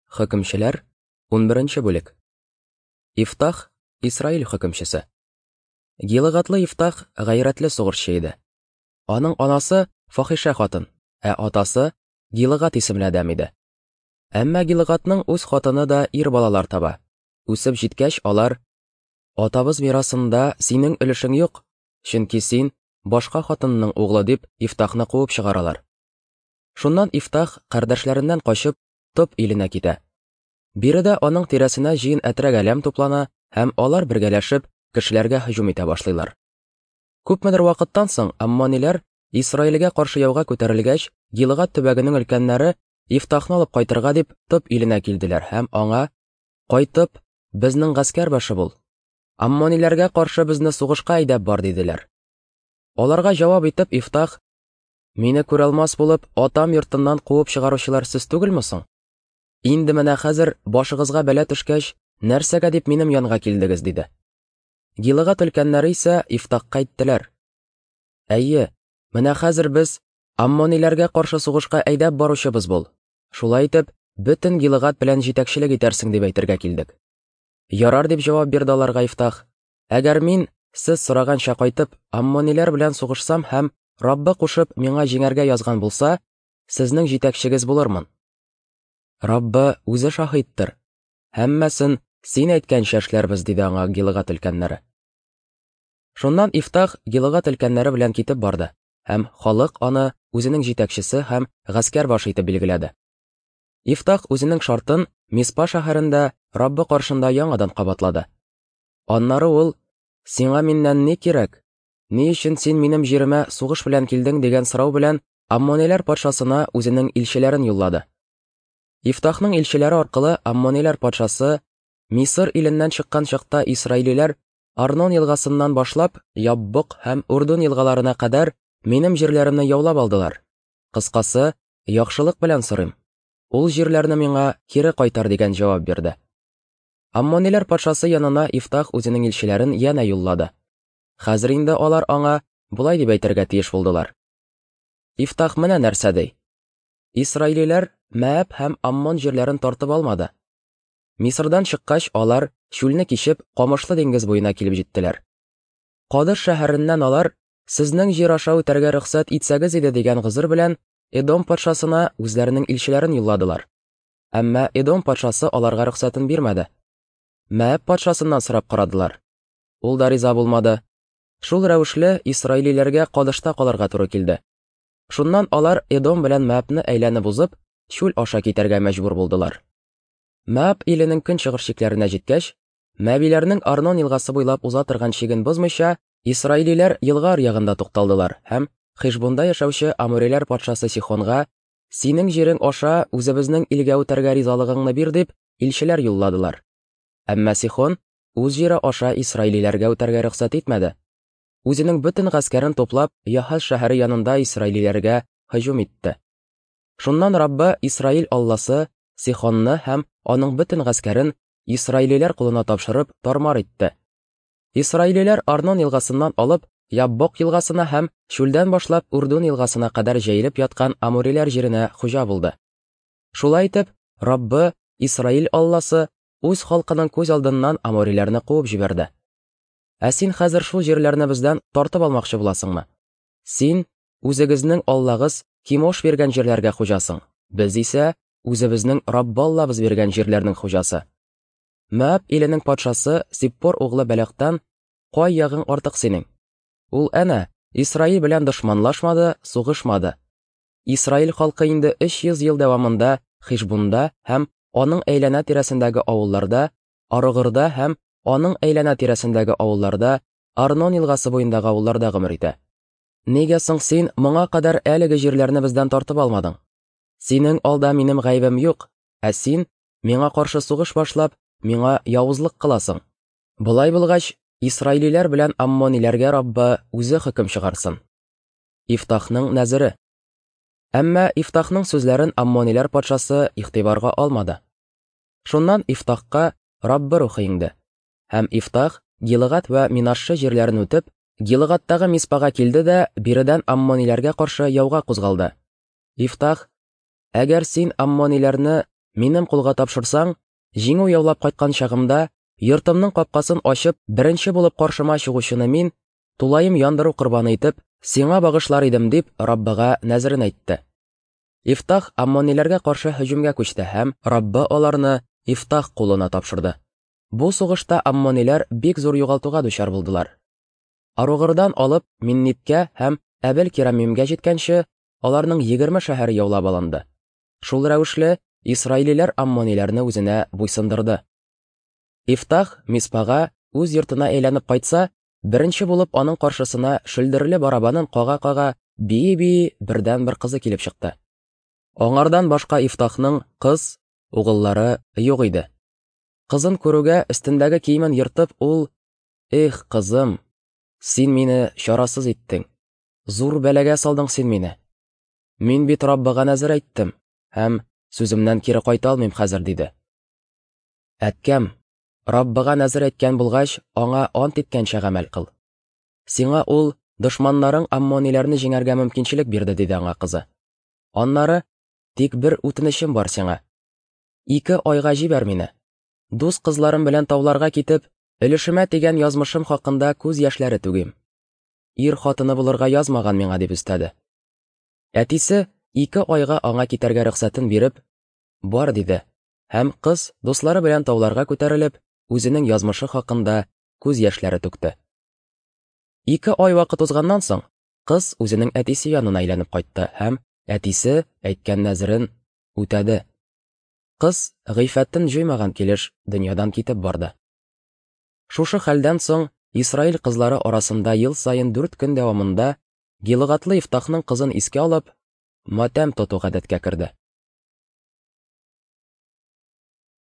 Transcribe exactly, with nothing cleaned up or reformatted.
Хөкемчеләр, унберенче бүлек. Ифтах Исраил хөкемчесе. Гилыгатлы Ифтах гайрәтле сугышчы иде. Аның анасы фахишә хатын, ә атасы Гилыгат исемле адәм иде. Әмма Гилыгатның үз хатыны да ир балалар таба. Үсеп җиткәч, алар: "Атабыз мирасында синең өлешең юк, чөнки син башка хатынның углы", дип Ифтахны куып чыгаралар. Шуннан Ифтах кардәшләреннән качып, Топ иленә китә. Биредә аның тирәсенә җыен әтрәк-әләм туплана һәм алар бергәләшеп кешеләргә һөҗүм итә башлыйлар. Күпмедер вакыттан соң аммониләр Исраилгә каршы яуга күтәрелгәч, Гилыгат төбәгенең өлкәннәре Ифтахны алып кайтырга дип Топ иленә килделәр һәм аңа: "Кайтып, безнең гаскәр башы бул. Аммониләргә каршы безне сугышка әйдәп бар", диделәр. Аларга җавап итеп Ифтах: "Мине күралмас булып, атам йортыннан куып чыгаручылар сез түгелме соң? Инде менә хәзер башыгызга бәла төшкәч, нәрсәгә дип минем янга килдегез?" диде. Гилыгат өлкәннәре исә Ифтахка әйттеләр: "Әйе, менә хәзер без аммониләргә каршы сугышка әйдәп баручыбыз бул. Шулай итеп, бөтен Гилыгат белән җитәкчелек итәрсең дип әйтергә килдек." "Ярар", дип җавап бирде аларга Ифтах. "Әгәр мин сез сораганча кайтып, аммониләр белән сугышсам һәм Раббы кушып миңа җиңәргә язган булса, сезнең җитәкчегез булырмын. Раббы үзе шаһиттыр. Һәммәсен син әйткәнчә эшләрбез", диде аңа Гилыгат өлкәннәре. Шуннан Ифтах Гилыгат өлкәннәре белән китеп барды, һәм халык аны үзенең җитәкчесе һәм гаскәр башы итеп билгеләде. Ифтах үзенең шартын Миспа шәһәрендә Раббы каршында яңадан кабатлады. Аннары ул: "Сиңа миннән ни кирәк? Ни өчен син минем җиремә сугыш белән килдең?" дигән сорау белән Аммониләр патшасына үзенең илчеләрен юллады. Ифтахның илчеләре аркылы Аммониләр патшасы: "Мисыр иленнән чыккан чакта исраилиләр Арнон елгасыннан башлап Яббок һәм Урдун елгаларына кадәр минем җирләремне яулап алдылар. Кыскасы, яхшылык белән сорыйм. Ул җирләрне миңа кире кайтар", дигән җавап бирде. Аммониләр патшасы янына Ифтах үзенең илчеләрен янә юллады. Хәзер инде алар аңа болай дип әйтергә тиеш булдылар: "Ифтах менә нәрсә ди: Исраилиләр Мәаб һәм Аммон җирләрен тартып алмады. Мисырдан чыккач, алар чүлне кичеп Камышлы диңгез буена килеп җиттеләр. Кадыш шәһәреннән алар: "Сезнең җир аша үтәргә рөхсәт итсәгез иде", дигән гозер белән Эдом патшасына үзләренең илчеләрен юлладылар. Әмма Эдом патшасы аларга рөхсәтен бирмәде. Мәаб патшасыннан сорап карадылар. Ул да риза булмады. Шул рәвешле исраилиләргә Кадышта калырга туры килде. Шуннан алар Эдом белән Мәабны әйләнеп узып, чүл аша китәргә мәҗбүр булдылар. Мәаб иленең көнчыгыш чикләренә җиткәч, Мәбиләрнең Арнон елгасы буйлап уза торган чиген бозмыйча, исраилиләр елга аръягында тукталдылар һәм Хишбунда яшәүче Амориләр патшасы Сихонга: "Синең җирең аша үзебезнең илгә үтәргә ризалыгыңны бир", дип илчеләр юлладылар. Әмма Сихон үз җире аша исраилиләргә үтәргә рөхсәт итмәде. Үзенең бөтен гаскәрен туплап, Яһаз шәһәре янында исраилиләргә һөҗүм итте. Шуннан Раббы Исраил Алласы Сихонны һәм аның бөтен гаскәрен исраилиләр кулына тапшырып тармар итте. Исраилиләр Арнон елгасыннан алып Яббок елгасына һәм чүлдән башлап Урдун елгасына кадәр җәелеп яткан амориләр җиренә хуҗа булды. Шулай итеп, Раббы Исраил Алласы үз халкының күз алдыннан амориләрне куып җибәрде. Ә син хәзер шул җирләрне бездән тартып алмакчы буласыңмы? Син үзегезнең Аллагыз Кимош биргән җирләргә хуҗасың. Без исә үзебезнең Раббы Аллабыз биргән җирләрнең хуҗасы. Мәаб иленең патшасы Сиппор углы Бәләктан кай ягың артык синең? Ул әнә Исраил белән дошманлашмады, сугышмады. Исраил халкы инде өч йөз ел дәвамында Хишбунда һәм аның әйләнә тирәсендәге авылларда, Арыгырда һәм аның әйләнә тирәсендәге авылларда, Арнон елгасы буендагы авылларда гомер итә. Нигә соң син моңа кадәр әлеге җирләрне бездән тартып алмадың? Синең алда минем гаебем юк, ә син миңа каршы сугыш башлап, миңа явызлык кыласың. Болай булгач, исраилиләр белән аммониләргә Раббы үзе хөкем чыгарсын." Ифтахның нәзере. Әмма Ифтахның сүзләрен аммониләр патшасы игътибарга алмады. Шуннан Ифтахка Раббы рухы иңде. Һәм Ифтах Гилыгат вә Минашшы җирләрен үтеп, Гилыгаттагы Миспага килде дә биредән аммониләргә каршы яуга кузгалды. Ифтах: "Әгәр син аммониләрне Минем кулга тапшырсаң, җиңү яулап кайткан чагымда, йортымның капкасын ачып, беренче булып каршыма чыгучыны мин, тулаем яндыру корбаны итеп, сиңа багышлар идем, дип Раббыга нәзерен әйтте. Ифтах аммониләргә каршы һөҗүмгә күчте һәм Раббы аларны Ифтах кулына тапшырды. Бу сугышта аммониләр бик зур югалтуга дучар булдылар. Аругырдан алып Минниткә һәм Әбел-Кирамимгә җиткәнче, аларның егерме шәһәре яулап алынды. Шул рәвешле исраилиләр аммониләрне үзенә буйсындырды. Ифтах Миспага үз йортына әйләнеп кайтса, беренче булып аның каршысына шөлдерле барабанын кага-кага, бии-бии бердәнбер кызы килеп чыкты. Аңардан башка Ифтахның кыз, угыллары юк иде. Кызын күрүгә өстендәге киемен ертып, ул: "Эх, кызым, син мине чарасыз иттең. Зур бәлагә салдың син мине. Мин бит Раббыга нәзер әйттем һәм сүземнән кире кайта алмыйм хәзер", диде. "Әткәм, Раббыга нәзер әйткән булгач, аңа ант иткәнчә гамәл кыл. Сиңа ул дошманнарың аммониләрне җиңәргә мөмкинчелек бирде", диде аңа кызы. "Аннары тик бер үтенечем бар сиңа. Ике айга җибәр мине. Дус кызларым белән тауларга китеп, өлешемә тигән язмышым хакында күз яшьләре түгим. Ир хатыны булырга язмаган миңа", дип өстәде. Әтисе ике айга аңа китәргә рөхсәтен биреп, "Бар", диде. Һәм кыз дуслары белән тауларга күтәрелеп, үзенең язмышы хакында күз яшьләре түкте. Ике ай вакыт узганнан соң, кыз үзенең әтисе янына әйләнеп кайтты һәм әтисе әйткән нәзерен үтәде. Кыз гыйффәтен җуймаган килеш дөньядан китеп барды. Шушы хәлдән соң Исраил кызлары арасында ел саен дүрт көн дәвамында Гилыгатлы Ифтахның кызын искә алып, матәм тоту гадәткә керде.